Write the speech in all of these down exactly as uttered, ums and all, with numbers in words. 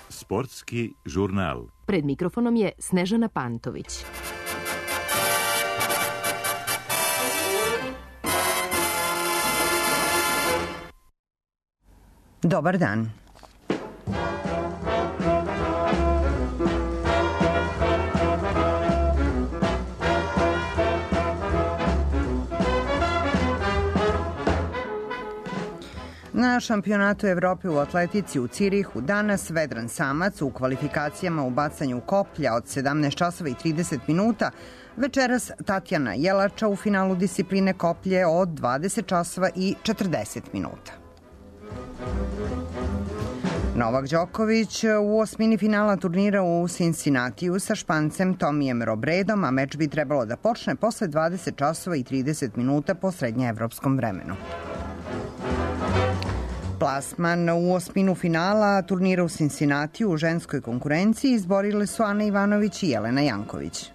Sportski žurnal. Pred mikrofonom je Snežana Pantović. Dobar dan. Na šampionatu Evrope u atletici u Cirihu danas Vedran Samac u kvalifikacijama u bacanju koplja od sedamnaest časova i trideset minuta, večeras Tatjana Jelača u finalu discipline koplje od dvadeset časova i četrdeset minuta. Novak Đoković u osmini finala turnira u Cincinnatiju sa Špancem Tomijem Robredom, a meč bi trebalo da počne posle dvadeset časova i trideset minuta po srednjeevropskom vremenu. Plasman u osminu finala turnira u Cincinnatiju u ženskoj konkurenciji izborile su Ana Ivanović i Jelena Janković.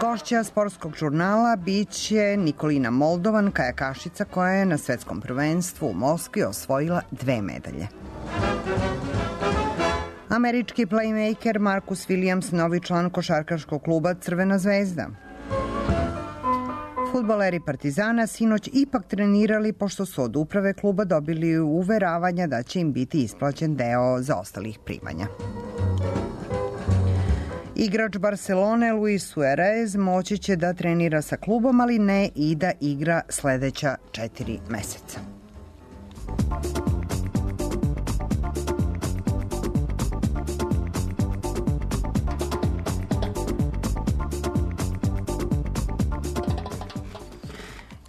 Gošća sportskog žurnala biće Nikolina Moldovan, kajakašica koja je na svetskom prvenstvu u Moskvi osvojila dve medalje. Američki playmaker Marcus Williams, novi član košarkaškog kluba Crvena zvezda. Fudbaleri Partizana sinoć ipak trenirali pošto su od uprave kluba dobili uveravanja da će im biti isplaćen deo zaostalih primanja. Igrač Barcelone Luis Suarez moći će da trenira sa klubom, ali ne i da igra sledeća četiri meseca.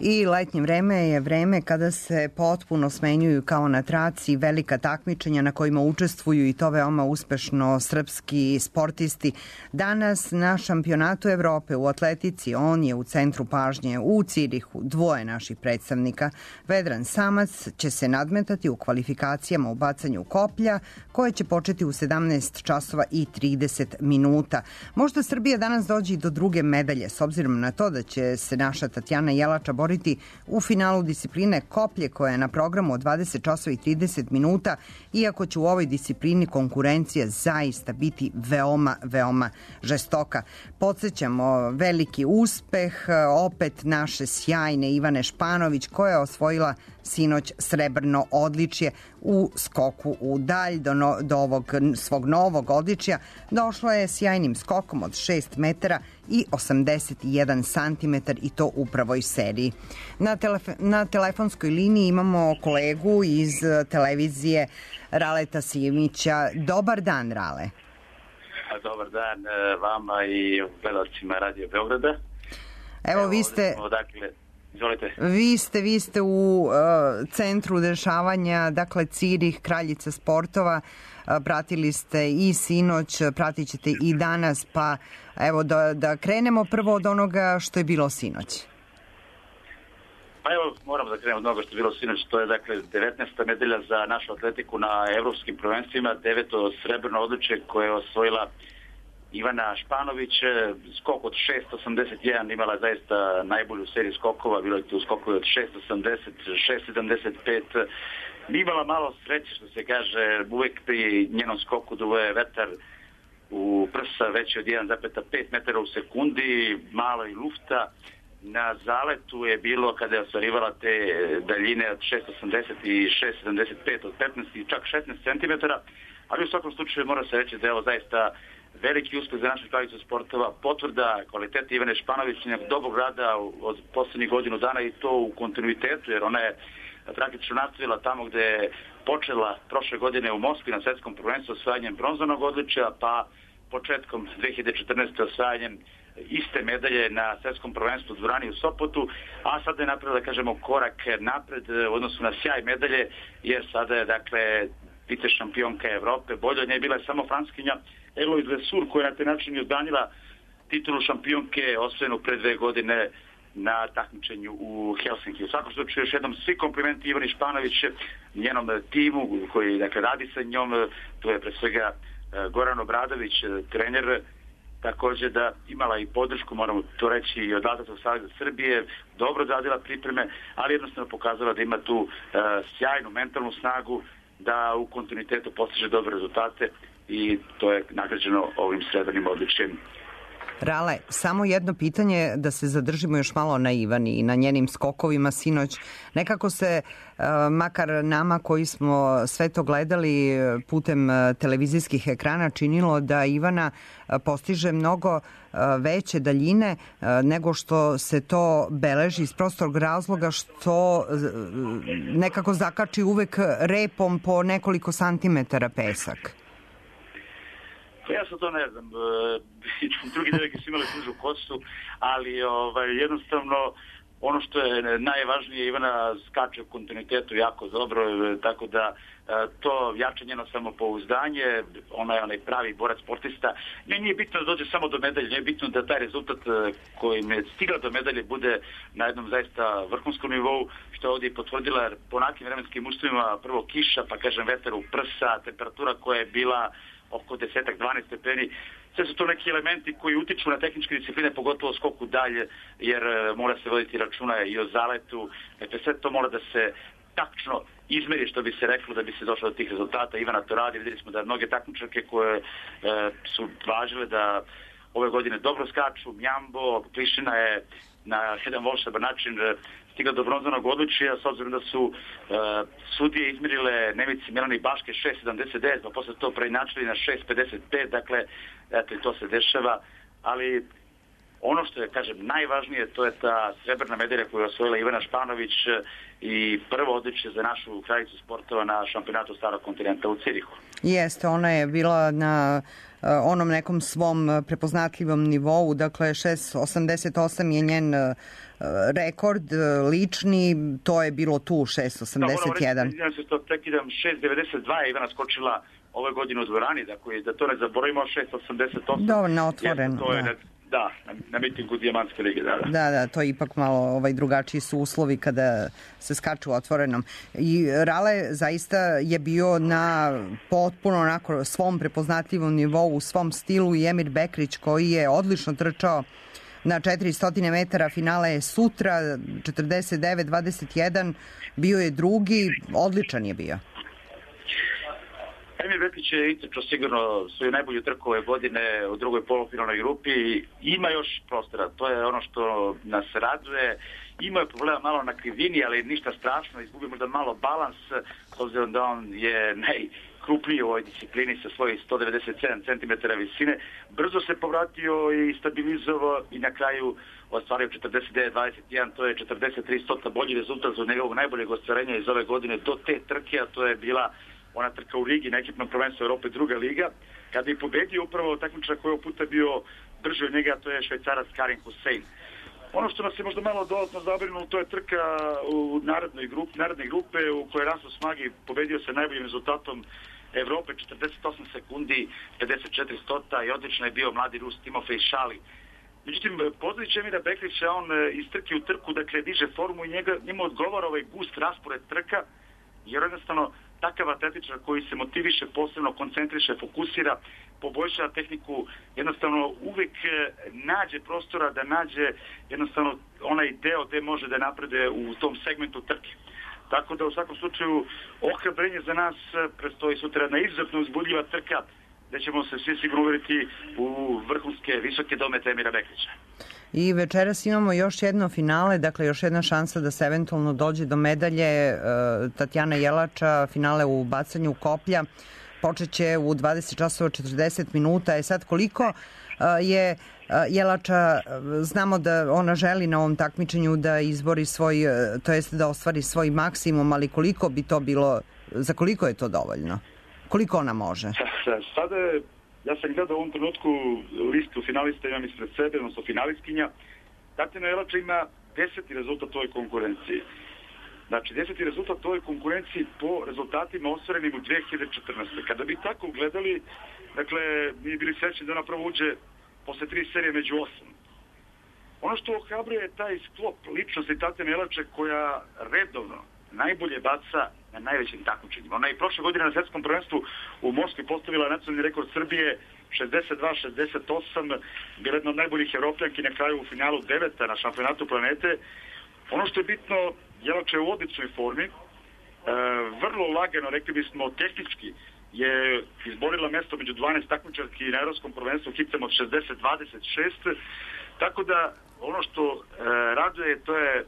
I letnje vreme je vreme kada se potpuno smenjuju kao na traci velika takmičenja na kojima učestvuju i to veoma uspešno srpski sportisti. Danas na šampionatu Evrope u atletici on je u centru pažnje u Cirihu. Dvoje naših predstavnika. Vedran Samac će se nadmetati u kvalifikacijama u bacanju koplja koje će početi u sedamnaest časova i trideset minuta. Možda Srbija danas dođe i do druge medalje s obzirom na to da će se naša Tatjana Jelača boriti u finalu discipline koplje koja je na programu od dvadeset časova i trideset minuta, iako će u ovoj disciplini konkurencija zaista biti veoma, veoma žestoka. Podsjećamo veliki uspeh opet naše sjajne Ivane Španović koja je osvojila sinoć srebrno odličje u skoku u dalj. Do, no, do ovog svog novog odličja došla je sjajnim skokom od šest metara i osamdeset jedan santimetar i to u prvoj seriji. Na, telef na telefonskoj liniji imamo kolegu iz televizije Raleta Simića. Dobar dan, Rale. Dobar dan vama i gledalcima Radio Beograda. Evo, Evo vi ste... Dakle, izvolite. Vi ste, vi ste u uh, centru dešavanja, dakle Cirih, kraljica sportova. Uh, pratili ste i sinoć, pratit ćete i danas, pa evo da, da krenemo prvo od onoga što je bilo sinoć. Pa evo, moramo da krenemo od onoga što je bilo sinoć. To je dakle devetnaesta medalja za našu atletiku na evropskim prvenstvima, deveto srebrno odličje koje je osvojila Ivana Španović. Skok od šest osamdeset jedan, imala zaista najbolju seriju skokova, bilo je tu skokovi od šest osamdeset, šest sedamdeset pet. Imala malo sreće, što se kaže, uvek pri njenom skoku duvo je vetar u prsa veći od jedan zarez pet metara u sekundi, malo i lufta. Na zaletu je bilo, kada je ostvarivala te daljine od šest osamdeset i šest sedamdeset pet, od petnaest i čak šesnaest centimetara, ali u svakom slučaju mora se reći da je ovo zaista veliki uspeh za našu kraljicu sportova, potvrda kvaliteta Ivane Španović, dobrog rada od poslednjih godinu dana i to u kontinuitetu, jer ona je praktično nastavila tamo gde je počela prošle godine u Moskvi na svetskom prvenstvu osvajanjem bronzanog odličja, pa početkom dve hiljade četrnaeste. osvajanjem iste medalje na svetskom prvenstvu u dvorani u Sopotu, a sada je napravila, da kažemo, korak napred u odnosu na sjaj medalje, jer sada je, dakle, vice šampionka Evrope. Bolje od nje bila je samo Franskinja Eloise Lesur, koja je na taj način odbranila titulu šampionke osvojenu pre dve godine na takmičenju u Helsinki. U svakom slučaju još jednom svi komplimenti Ivani Španović, njenom timu koji, dakle, radi sa njom. Tu je pre svega Goran Obradović, trener takođe da imala i podršku, moramo to reći, i od Atletskog saveza Srbije, dobro odradila pripreme, ali jednostavno pokazala da ima tu e, sjajnu mentalnu snagu, da u kontinuitetu postiže dobre rezultate i to je nagrađeno ovim srebrnim odličjem. Rale, samo jedno pitanje da se zadržimo još malo na Ivani i na njenim skokovima sinoć. Nekako se, makar nama koji smo sve to gledali putem televizijskih ekrana, činilo da Ivana postiže mnogo veće daljine nego što se to beleži iz prostog razloga što nekako zakači uvek repom po nekoliko santimetara pesak. Ja sam to ne znam, drugi devojke su imali tužu kosu, ali ovaj, jednostavno ono što je najvažnije, Ivana skače u kontinuitetu jako dobro, tako da to jača njeno samopouzdanje, ona je onaj pravi borac sportista. Ne, nije bitno da dođe samo do medalje, nije bitno da taj rezultat kojim je stigla do medalje bude na jednom zaista vrhunskom nivou, što je ovdje potvrdila, jer po onakim vremenskim uslovima prvo kiša, pa kažem vetar u prsa, temperatura koja je bila oko deset do dvanaest stepeni. Sve su to neki elementi koji utiču na tehničke discipline, pogotovo skoku dalje, jer mora se voditi računa i o zaletu. Dakle, sve to mora da se tačno izmeri, što bi se reklo, da bi se došlo do tih rezultata. Ivana to radi, vidjeli smo da mnoge takmičarke koje e, su važile da ove godine dobro skaču, Mjambo, Klišina je na jedan volšeban način stigla do bronzanog odličja, s obzirom da su e, sudije izmerile Nemici Milani Baške šest sedamdeset devet, pa posle to preinačili na šest pedeset pet, dakle, eto i to se dešava, ali ono što je, kažem, najvažnije, to je ta srebrna medalja koju je osvojila Ivana Španović i prvo odličje za našu kraljicu sportova na šampionatu Starog kontinenta u Cirihu. Jeste, ona je bila na onom nekom svom prepoznatljivom nivou, dakle šest osamdeset osam je njen rekord lični, to je bilo tu šest osamdeset jedan. Da, moram reći, to prekidam, šest devedeset dva je Ivana skočila ove godine u dvorani, dakle, da to ne zaboravimo, šest osamdeset osam. Dovoljno otvoreno, to je, da. Da, na, na mitingu Dijamantske lige, da, da. Da, da, to je ipak malo ovaj, drugačiji su uslovi kada se skaču otvorenom. I Rale zaista je bio na potpuno onako svom prepoznatljivom nivou, u svom stilu, i Emir Bekrić koji je odlično trčao na četiristo metara, finale je sutra, četrdeset devet dvadeset jedan, bio je drugi, odličan je bio. Emir Bekrić je itrčao sigurno svoju najbolju trku ove godine u drugoj polufinalnoj grupi. Ima još prostora, to je ono što nas raduje. Ima je problema malo na krivini, ali ništa strašno, izgubio možda malo balans, s obzirom da on je najkrupniji u ovoj disciplini sa svojih sto devedeset sedam centimetara visine. Brzo se povratio i stabilizovao i na kraju ostvario četrdeset devet dvadeset jedan, to je četrdeset tri stota bolji rezultat za njegovog najboljeg ostvarenja iz ove godine do te trke, a to je bila ona trka u Rigi na ekipnom prvenstvu Europe, druga liga, kada je pobedio upravo takmičar koji je puta bio brži od njega, to je Švajcarac Karim Hussein. Ono što nas je možda malo dodatno zabrinulo, to je trka u narodnoj grupi, narodne grupe u kojoj Rasto Smagi pobedio se najboljim rezultatom Evrope, četrdeset osam sekundi, pedeset četiri stota, i odlično je bio mladi Rus Timofej Šali. Međutim, poznajući će mi da Bekrića, on iz trke u trku, dakle, diže formu i njega, njemu odgovara ovaj gust raspored trka, jer jednostavno takav atletičar koji se motiviše, posebno koncentriše, fokusira, poboljšava tehniku, jednostavno uvek nađe prostora da nađe jednostavno onaj deo gde može da napreduje u tom segmentu trke. Tako da u svakom slučaju ohrabrenje za nas, predstoji sutra jedna izuzetno uzbudljiva trka, gde ćemo se svi sigurno uveriti u vrhunske, visoke domete Emira Bekrića. I večeras imamo još jedno finale, dakle još jedna šansa da se eventualno dođe do medalje. Tatjana Jelača, finale u bacanju koplja, počeće u dvadeset časova četrdeset minuta. E sad, koliko je Jelača, znamo da ona želi na ovom takmičenju da izbori svoj, to jest da ostvari svoj maksimum, ali koliko bi to bilo, za koliko je to dovoljno? Koliko ona može? Sada je, ja sam gledao u ovom trenutku listu finalista, imam ispred sebe, odnosno finalistkinja. Tatjana Jelača ima deseti rezultat u ovoj konkurenciji. Znači, deseti rezultat u ovoj konkurenciji po rezultatima ostvarenim u dve hiljade četrnaestoj. Kada bi tako gledali, dakle, mi bili srećni da ona prvo uđe posle tri serije među osam. Ono što ohrabruje je taj sklop ličnosti Tatjana Jelače koja redovno najbolje baca na najvećim takmičenjima. Ona je prošle godine na svetskom prvenstvu u Moskvi postavila nacionalni rekord Srbije šezdeset dva šezdeset osam, bila jedna od najboljih Evropljanki, na kraju u finalu deveta na šampionatu planete. Ono što je bitno, Jelača je u odličnoj formi, e, vrlo lagano, rekli bismo tehnički, je izborila mesto među dvanaest takmičarki na Evropskom prvenstvu hicem od šezdeset dvadeset šest, tako da ono što e, raduje, to je e,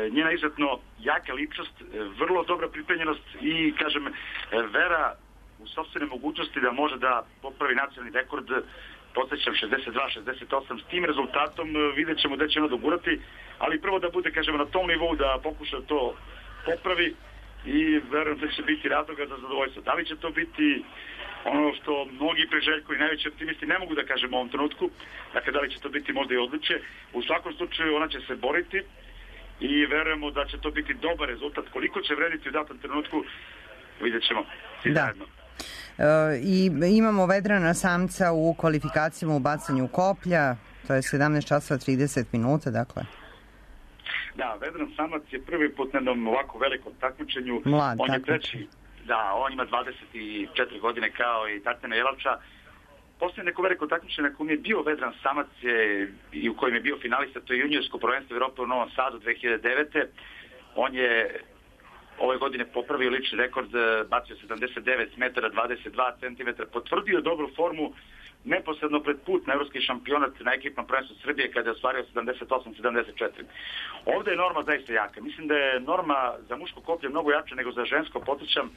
njena izuzetno jaka ličnost, e, vrlo dobra pripremljenost i, kažem, e, vera u sopstvene mogućnosti da može da popravi nacionalni rekord, podsjećam šezdeset dva šezdeset osam, s tim rezultatom vidjet ćemo da će ona dogurati, ali prvo da bude, kažemo, na tom nivou da pokuša to popravi i verujem da će biti razloga za zadovoljstvo. Da li će to biti ono što mnogi priželjkuju i najveći optimisti ne mogu da kažem u ovom trenutku, dakle da li će to biti možda i odličje, u svakom slučaju ona će se boriti i verujemo da će to biti dobar rezultat. Koliko će vrediti u datom trenutku, vidjet ćemo svi da. zajedno. E, I imamo Vedrana Samca u kvalifikacijama u bacanju koplja, to je sedamnaest časova trideset minuta, dakle. Da, Vedran Samac je prvi put na jednom ovako velikom takmičenju. Mlad, on je takmičenje. treći, da, on ima dvadeset četiri godine kao i Tatjana Jelača. Poslije neko veliko takmičenje na kojem je bio Vedran Samac je, i u kojem je bio finalista, to je juniorsko prvenstvo Evrope u Novom Sadu dve hiljade devete. On je ove godine popravio lični rekord, bacio sedamdeset devet metara dvadeset dva centimetra, potvrdio dobru formu neposredno pred put na evropski šampionat na ekipnom prvenstvu Srbije kada je ostvario sedamdeset osam sedamdeset četiri. Ovde je norma zaista jaka. Mislim da je norma za muško koplje mnogo jača nego za žensko. Podsjećam,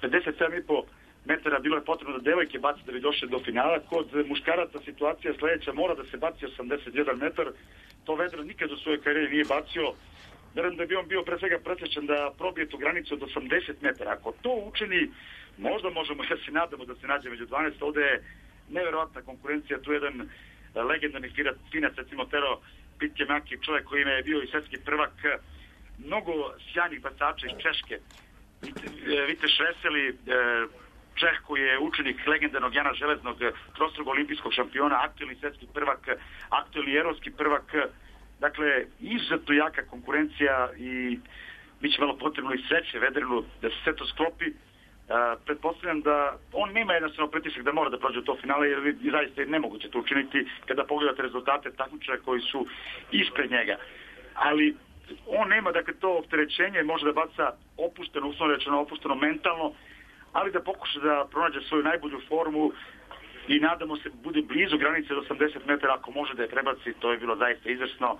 pedeset sedam i po metara bilo je potrebno da devojke baci da bi došle do finala. Kod muškaraca situacija sledeća, mora da se baci osamdeset jedan metar. To Vedran nikad u svojoj karijeri nije bacio. Verujem da bi on bio pre svega presrećan da probije tu granicu od osamdeset metara. Ako to učini, možda možemo da se nadamo da se nađe među dvanaest. Ovde je neverovatna konkurencija, tu je jedan legendarni finac, recimo Tero Pitkemaki, čovjek koji je bio i svetski prvak, mnogo sjajnih bacača iz Češke. Vite Šreseli, Čeh koji je učenik legendarnog Jana Železnog, trostrukog olimpijskog šampiona, aktuelni svetski prvak, aktuelni evropski prvak. Dakle, izuzetno jaka konkurencija i bit će malo potrebno i sreće Vedranu da se sve to sklopi. Uh, pretpostavljam da on nema jednostavno pritisak da mora da prođe u to finale, jer zaista je nemoguće to učiniti kada pogledate rezultate takmičara koji su ispred njega. Ali on nema, dakle, to opterećenje, može da baca opušteno, uslovno rečeno opušteno mentalno, ali da pokuša da pronađe svoju najbolju formu i nadamo se bude blizu granice do osamdeset metara, ako može da je prebaci, to je bilo zaista izvrsno.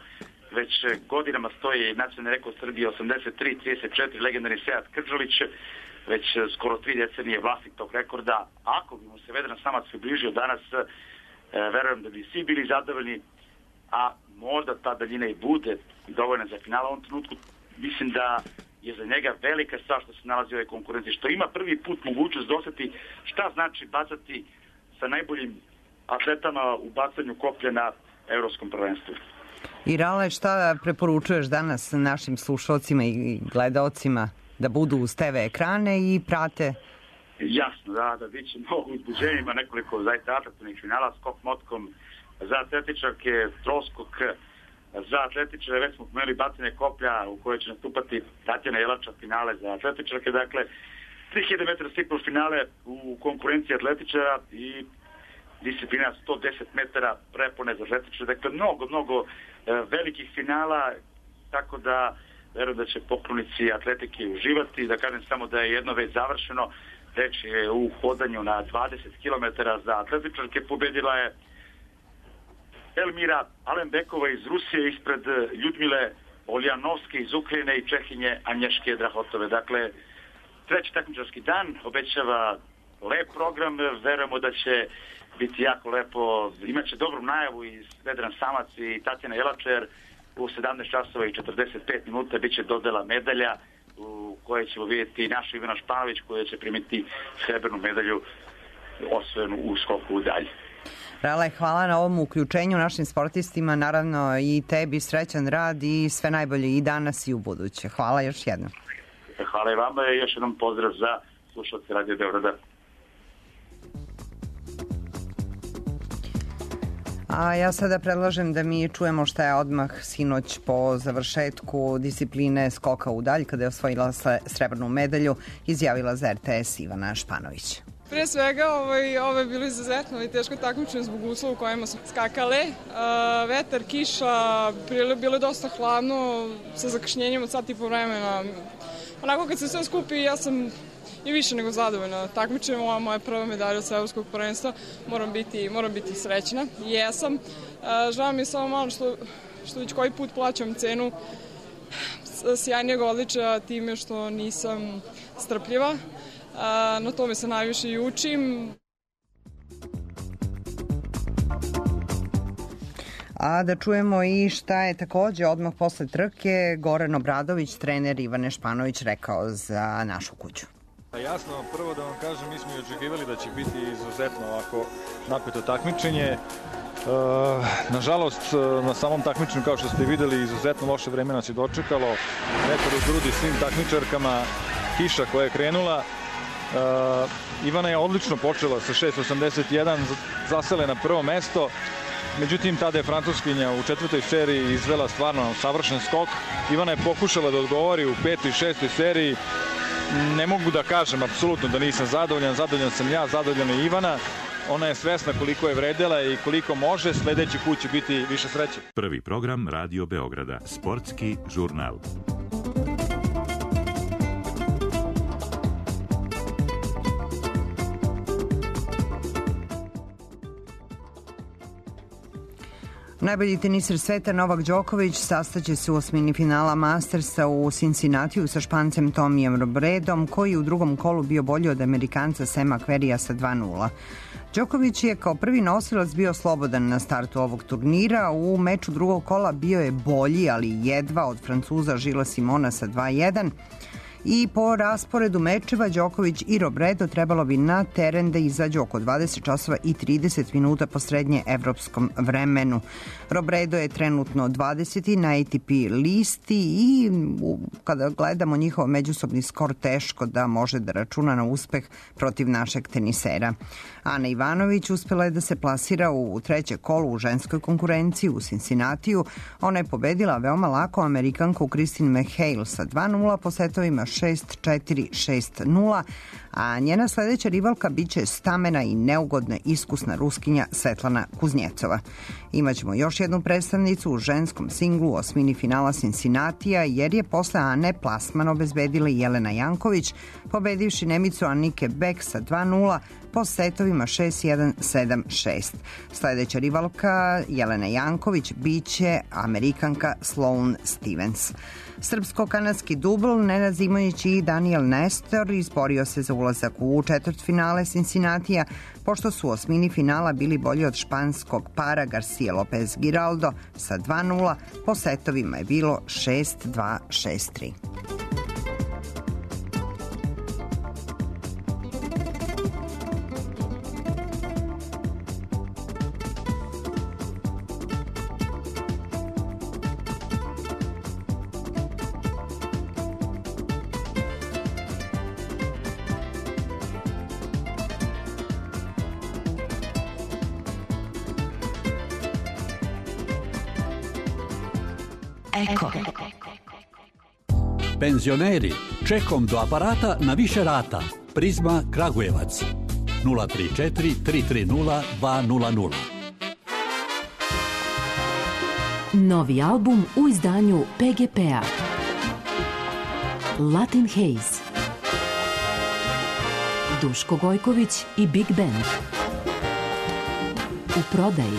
Već godinama stoji nacionalni rekord Srbije osamdeset tri trideset četiri, legendarni Sead Kržalić, već skoro tri decenije vlasnik tog rekorda. Ako bi mu se Vedran Samac približio danas, e, verujem da bi svi bili zadovoljni, a možda ta daljina i bude dovoljna za finala. U ovom trenutku mislim da je za njega velika stvar što se nalazi u ovoj konkurenciji, što ima prvi put mogućnost da osjeti šta znači bacati sa najboljim atletama u bacanju koplja na evropskom prvenstvu. I Rale, šta preporučuješ danas našim slušalcima i gledaocima da budu uz te ve ekrane i prate? Jasno, da, da bit će mnogo uzbuđenja, ima nekoliko zaista atraktivnih finala, skok motkom, za atletičarke, troskok, za atletičare, već smo pomeli bacanje koplja u kojoj će nastupati Tatjana Jelača, finale za atletičarke, dakle tri hiljade metara stiklo finale u konkurenciji atletičara i disciplina sto deset metara prepone za atletičare, dakle mnogo, mnogo e, velikih finala, tako da verujem da će poklonici atletike uživati. Da kažem samo da je jedno već završeno, reč je u hodanju na dvadeset kilometara za atletičarke, pobedila je Elmira Alenbekova iz Rusije ispred Ljudmile Oljanovske iz Ukrajine i Čehinje Anješke Drahotove. Dakle, treći takmičarski dan obećava lep program, verujemo da će biti jako lepo, imaće dobru najavu i Vedran Samac i Tatjana Jelača, jer u sedamnaest časova i četrdeset pet minuta biće dodela medalja u kojoj ćemo vidjeti našu Ivana Španović koja će primiti srebrnu medalju osvojenu u skoku u dalje. Rale, hvala na ovom uključenju našim sportistima, naravno i tebi srećan rad i sve najbolje i danas i u buduće. Hvala još jednom. Hvala i vama i još jednom pozdrav za slušalce Radio Beograda. A ja sada predlažem da mi čujemo šta je odmah sinoć po završetku discipline skoka u dalj, kada je osvojila srebrnu medalju, izjavila za er te es Ivana Španović. Pre svega, ovaj, ovo je bilo izuzetno i teško takmičenje zbog uslova u kojima smo skakale. Uh, vetar, kiša, bilo je dosta hladno, sa zakašnjenjem od sat i po vremena. Onako kad se sve skupi, ja sam i više nego zadovoljna. Takmičenje ova moja prva medalja od svetskog prvenstva, moram biti, moram biti srećna. I jesam. Uh, žao mi je samo malo što, što već koji put plaćam cenu sjajnijeg odličaja time što nisam strpljiva. Na tome se najviše i učim. A da čujemo i šta je takođe odmah posle trke Goran Obradović, trener Ivane Španović, rekao za našu kuću. Jasno, prvo da vam kažem, mi smo i očekivali da će biti izuzetno ovako napeto takmičenje. Uh, nažalost, na samom takmičenju, kao što ste videli, izuzetno loše vreme nas je dočekalo. Vetar u grudi svim takmičarkama, kiša koja je krenula. Uh, Ivana je odlično počela sa šest osamdeset jedan, zasele na prvo mesto. Međutim, tada je Francuskinja u četvrtoj seriji izvela stvarno savršen skok. Ivana je pokušala da odgovori u petoj i šestoj seriji. Ne mogu da kažem apsolutno da nisam zadovoljan, zadovoljan sam ja, zadovoljena je Ivana. Ona je svesna koliko je vredela i koliko može, sledeći put će biti više sreće. Prvi program Radio Beograda, sportski žurnal. Najbolji teniser sveta Novak Đoković sastaće se u osmini finala Mastersa u Cincinnatiju sa Špancem Tomijem Robredom, koji u drugom kolu bio bolji od Amerikanca Sema Querreyja sa dva nula. Đoković je kao prvi nosilac bio slobodan na startu ovog turnira. U meču drugog kola bio je bolji, ali jedva od Francuza Gilles Simona sa dva jedan. I po rasporedu mečeva Đoković i Robredo trebalo bi na teren da izađu oko dvadeset časova i trideset minuta po srednje evropskom vremenu. Robredo je trenutno dvadeseti na A T P listi i kada gledamo njihov međusobni skor, teško da može da računa na uspeh protiv našeg tenisera. Ana Ivanović uspela je da se plasira u treće kolo u ženskoj konkurenciji u Cincinnatiju. Ona je pobedila veoma lako Amerikanku Christine McHale sa dva nula po setovima šest četiri, šest nula, a njena sledeća rivalka biće stamena i neugodna iskusna Ruskinja Svetlana Kuznjecova. Imaćemo još jednu predstavnicu u ženskom singlu u osmini finala Cincinnatija, jer je posle Ane plasman obezbedila Jelena Janković, pobedivši Nemicu Annike Beck sa dva nula po setovima šest jedan, sedam šest. Sledeća rivalka Jelena Janković biće Amerikanka Sloane Stevens. Srpsko-kanadski dubl Nenad Zimović i Daniel Nestor izborio se za ulazak u četvrtfinale Cincinnatija, pošto su u osmini finala bili bolji od španskog para Garcia Lopez Giraldo sa dva nula, po setovima je bilo šest dva, šest tri. Eko. Penzioneri, čekom do aparata na više rata. Prizma Kragujevac. nula tri četiri, tri tri nula, dva nula nula. Novi album u izdanju P G P-a. Latin Haze. Duško Gojković i Big Band. U prodaji.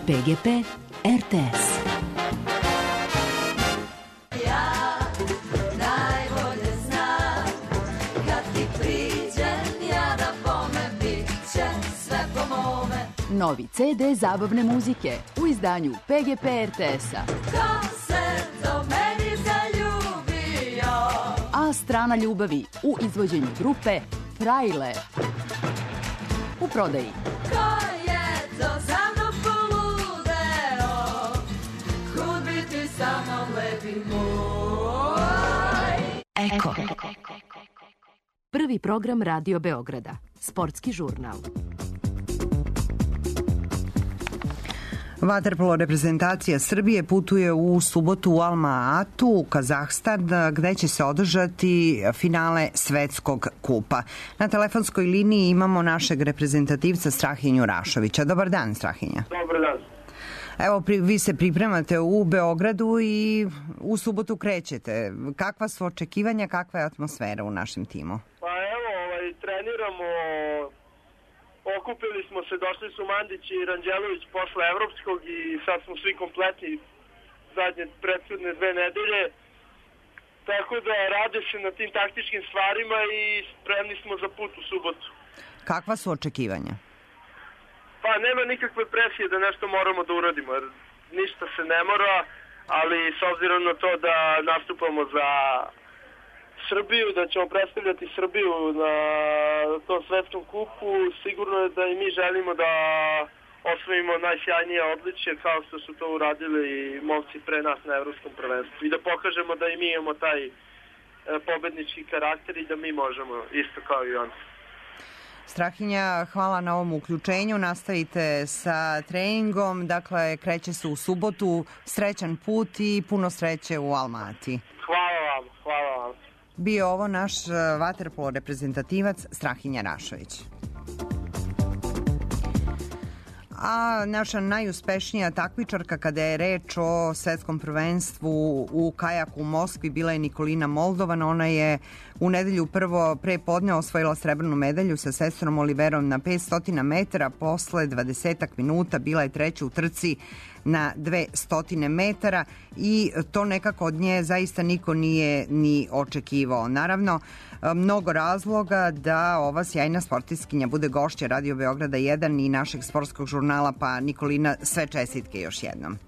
P G P R T S. Novi C D zabavne muzike u izdanju P G P R T S-a. Ko se do meni zaljubio? A strana ljubavi u izvođenju grupe Frajle. U prodaji. Ko je to za mnom poludeo? Kud bi ti sa mnom lepi moj? Eko. Prvi program Radio Beograda. Sportski žurnal. Vaterpolo reprezentacija Srbije putuje u subotu u Alma-Atu, u Kazahstan, gde će se održati finale Svetskog kupa. Na telefonskoj liniji imamo našeg reprezentativca Strahinju Rašovića. Dobar dan, Strahinja. Dobar dan. Evo, pri, vi se pripremate u Beogradu i u subotu krećete. Kakva su očekivanja, kakva je atmosfera u našem timu? Pa evo, ovaj, treniramo, okupili smo se, došli su Mandić i Ranđelović posle Evropskog i sad smo svi kompletni zadnje prethodne dve nedelje. Tako da rade se na tim taktičkim stvarima i spremni smo za put u subotu. Kakva su očekivanja? Pa nema nikakve presije da nešto moramo da uradimo, jer ništa se ne mora, ali s obzirom na to da nastupamo za Srbiju, da ćemo predstavljati Srbiju na tom svetskom kupu, sigurno je da i mi želimo da osvojimo najsjajnije odličje kao što su to uradili i momci pre nas na evropskom prvenstvu i da pokažemo da i mi imamo taj pobednički karakter i da mi možemo isto kao i oni. Strahinja, hvala na ovom uključenju. Nastavite sa treningom. Dakle, kreće se u subotu. Srećan put i puno sreće u Almati. Hvala vam, hvala vam. Bio ovo naš vaterpolo reprezentativac Strahinja Rašović. A naša najuspešnija takmičarka kada je reč o svetskom prvenstvu u kajaku u Moskvi bila je Nikolina Moldovan. Ona je u nedelju prvo pre podne osvojila srebrnu medalju sa sestrom Oliverom na petsto metara. Posle dvadesetak minuta bila je treća u trci na dvesta metara i to nekako od nje zaista niko nije ni očekivao. Naravno, mnogo razloga da ova sjajna sportistkinja bude gošća Radio Beograda jedan i našeg sportskog žurnala, pa Nikolina, sve čestitke još jednom.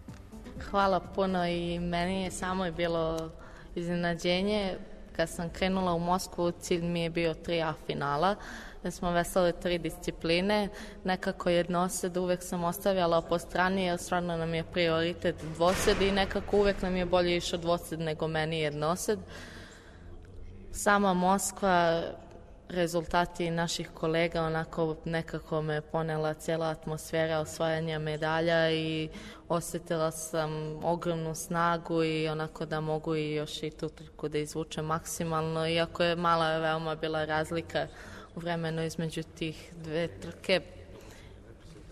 Hvala puno i meni je samo bilo iznenađenje. Kad sam krenula u Moskvu, cilj mi je bio tri A finala, da smo veslali tri discipline. Nekako jednosed uvek sam ostavljala po strani, jer stvarno nam je prioritet dvosed i nekako uvek nam je bolje išao dvosed nego meni jednosed. Sama Moskva, rezultati naših kolega, onako nekako me ponela cijela atmosfera osvajanja medalja i osjetila sam ogromnu snagu i onako da mogu i još i tu trku da izvučem maksimalno, iako je mala veoma bila razlika u vremenu između tih dve trke.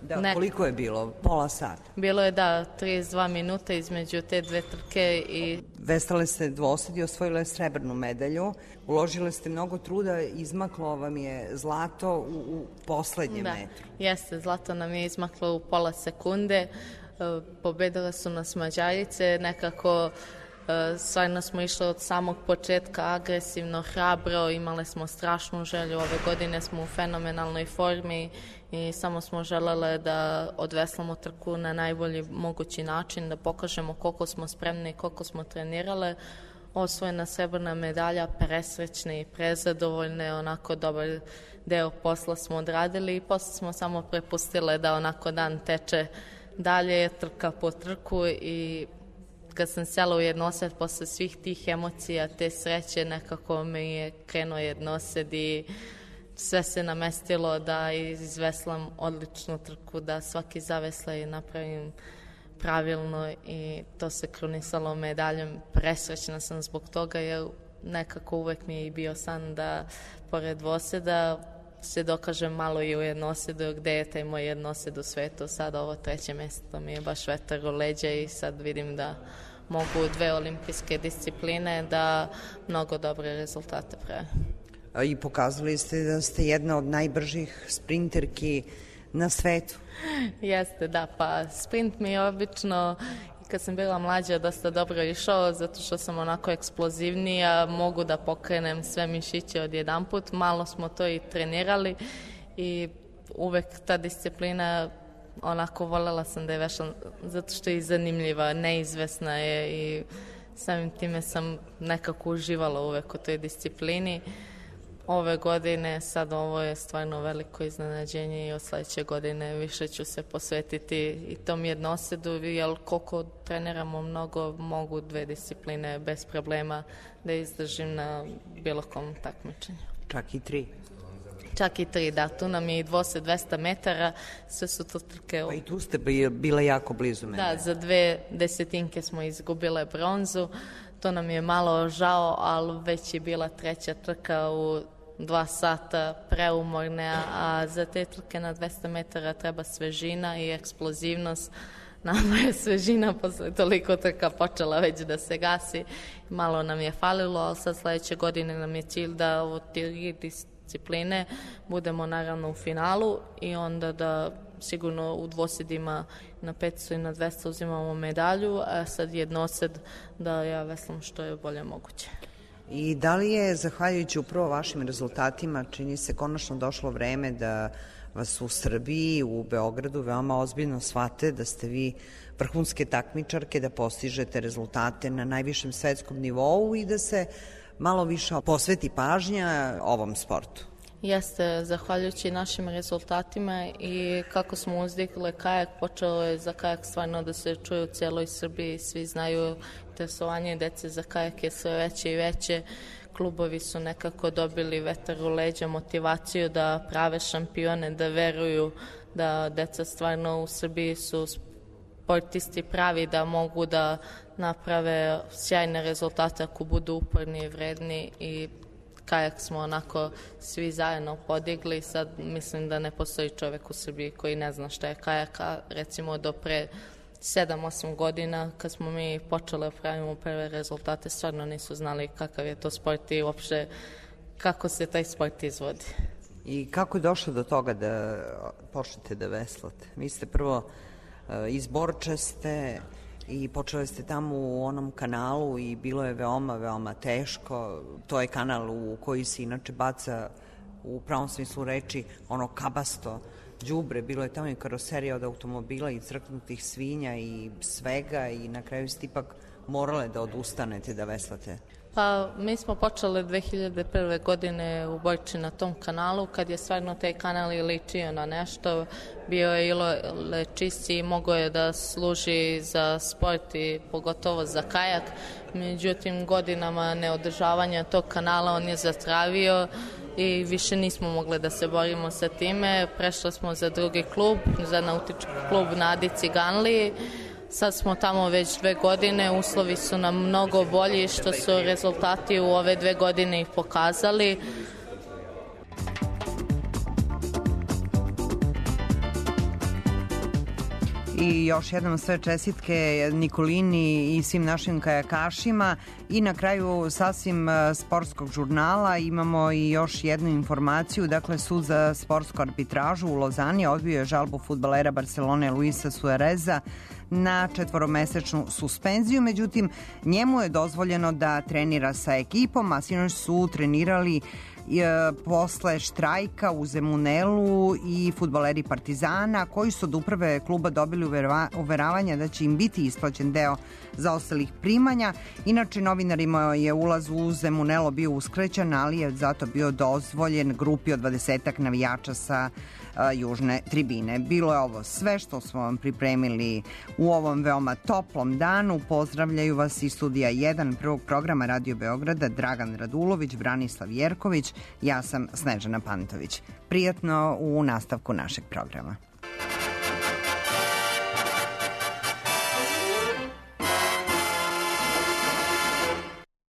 Da, ne, koliko je bilo? Pola sata? Bilo je, da, trideset dva minuta između te dve trke i... Veslale ste dvosed i osvojile srebrnu medalju. Uložile ste mnogo truda, izmaklo vam je zlato u, u poslednjem da, metru. Jeste, zlato nam je izmaklo u pola sekunde. Pobedile su nas Mađarice, nekako stvarno smo išli od samog početka agresivno, hrabro, imale smo strašnu želju, ove godine smo u fenomenalnoj formi i samo smo želele da odveslamo trku na najbolji mogući način, da pokažemo koliko smo spremni i koliko smo trenirale. Osvojena srebrna medalja, presrećne i prezadovoljne, onako dobar deo posla smo odradili i posle smo samo prepustile da onako dan teče dalje, trka po trku i kad sam sela u jednosed posle svih tih emocija, te sreće, nekako mi je krenuo jednosed i sve se namestilo da izveslam odličnu trku, da svaki zaveslaj napravim pravilno i to se krunisalo medaljom. Presrećna sam zbog toga jer nekako uvek mi je bio san da pored dvoseda se dokažem malo i u jednosedu, gde je taj moj jednosed u svetu. Sad ovo treće mesto mi je baš vetar u leđa i sad vidim da mogu dve olimpijske discipline da mnogo dobre rezultate prave. I pokazali ste da ste jedna od najbržih sprinterki na svetu. Jeste, da, pa sprint mi je obično kad sam bila mlađa dosta dobro išao, zato što sam onako eksplozivnija, mogu da pokrenem sve mišiće odjedanput, malo smo to i trenirali i uvek ta disciplina onako volela sam da je vešla, zato što je zanimljiva, neizvesna je i samim time sam nekako uživala uvek u toj disciplini. Ove godine, sad ovo je stvarno veliko iznenađenje i od sledeće godine više ću se posvetiti i tom jednosedu, jer koliko treniramo mnogo, mogu dve discipline bez problema da izdržim na bilo kom takmičenju. Čak i tri? čak i tri, da, tu nam je i dvosed dvesta metara, sve su to trke. Pa i tu ste bile jako blizu mene. Da, za dve desetinke smo izgubile bronzu, to nam je malo žao, ali već je bila treća trka u dva sata preumorne, a za te trke na dvesta metara treba svežina i eksplozivnost. Nama je svežina posle toliko trka počela već da se gasi, malo nam je falilo, ali sad sledeće godine nam je cilj da ovo tri discipline budemo naravno u finalu i onda da sigurno u dvosedima na petsto i na dvesta uzimamo medalju, a sad jednosed da ja veslam što je bolje moguće. I da li je, zahvaljujući upravo vašim rezultatima, čini se konačno došlo vreme da vas u Srbiji, u Beogradu veoma ozbiljno shvate da ste vi vrhunske takmičarke, da postižete rezultate na najvišem svetskom nivou i da se malo više posveti pažnja ovom sportu? Jeste, zahvaljujući našim rezultatima i kako smo uzdigle kajak, počelo je za kajak stvarno da se čuje u cijeloj Srbiji, svi znaju interesovanje dece za kajak je sve veće i veće, klubovi su nekako dobili vetar u leđa, motivaciju da prave šampione, da veruju da deca stvarno u Srbiji su sportisti pravi, da mogu da naprave sjajne rezultate ako budu uporni i vredni i kajak smo onako svi zajedno podigli. Sad mislim da ne postoji čovek u Srbiji koji ne zna šta je kajak, a recimo do pre sedam osam godina kad smo mi počeli da pravimo prve rezultate stvarno nisu znali kakav je to sport i uopšte kako se taj sport izvodi. I kako je došlo do toga da počnete da veslate? Vi ste prvo iz Borčeste i počeli ste tamo u onom kanalu i bilo je veoma, veoma teško. To je kanal u koji se inače baca u pravom smislu reči ono kabasto đubre, bilo je tamo i karoserija od automobila i crknutih svinja i svega i na kraju ste ipak morale da odustanete da veslate. Pa mi smo počeli dve hiljade prve. godine u Borči na tom kanalu, kad je stvarno taj kanal i ličio na nešto, bio je ile čisti i mogo je da služi za sport i pogotovo za kajak. Međutim, godinama neodržavanja tog kanala on je zatravio i više nismo mogli da se borimo sa time. Prešli smo za drugi klub, za nautički klub Nadi Ciganliji. Sad smo tamo već dve godine, uslovi su nam mnogo bolji što su rezultati u ove dve godine ih pokazali. I još jednom sve čestitke Nikolini i svim našim kajakašima i na kraju sasvim sportskog žurnala imamo i još jednu informaciju. Dakle, sud za sportsku arbitražu u Lozani odbio je žalbu fudbalera Barcelone Luisa Suareza na četvoromesečnu suspenziju, međutim njemu je dozvoljeno da trenira sa ekipom, a sinoć su trenirali posle štrajka u Zemunelu i fudbaleri Partizana koji su od uprave kluba dobili uveravanja da će im biti isplaćen deo zaostalih primanja. Inače, novinarima je ulaz u Zemunelo bio uskrećen, ali je zato bio dozvoljen grupi od dvadesetak navijača sa južne tribine. Bilo je ovo sve što smo vam pripremili u ovom veoma toplom danu. Pozdravljaju vas iz studija jedan prvog programa Radio Beograda Dragan Radulović, Branislav Jerković, ja sam Snežana Pantović. Prijatno u nastavku našeg programa.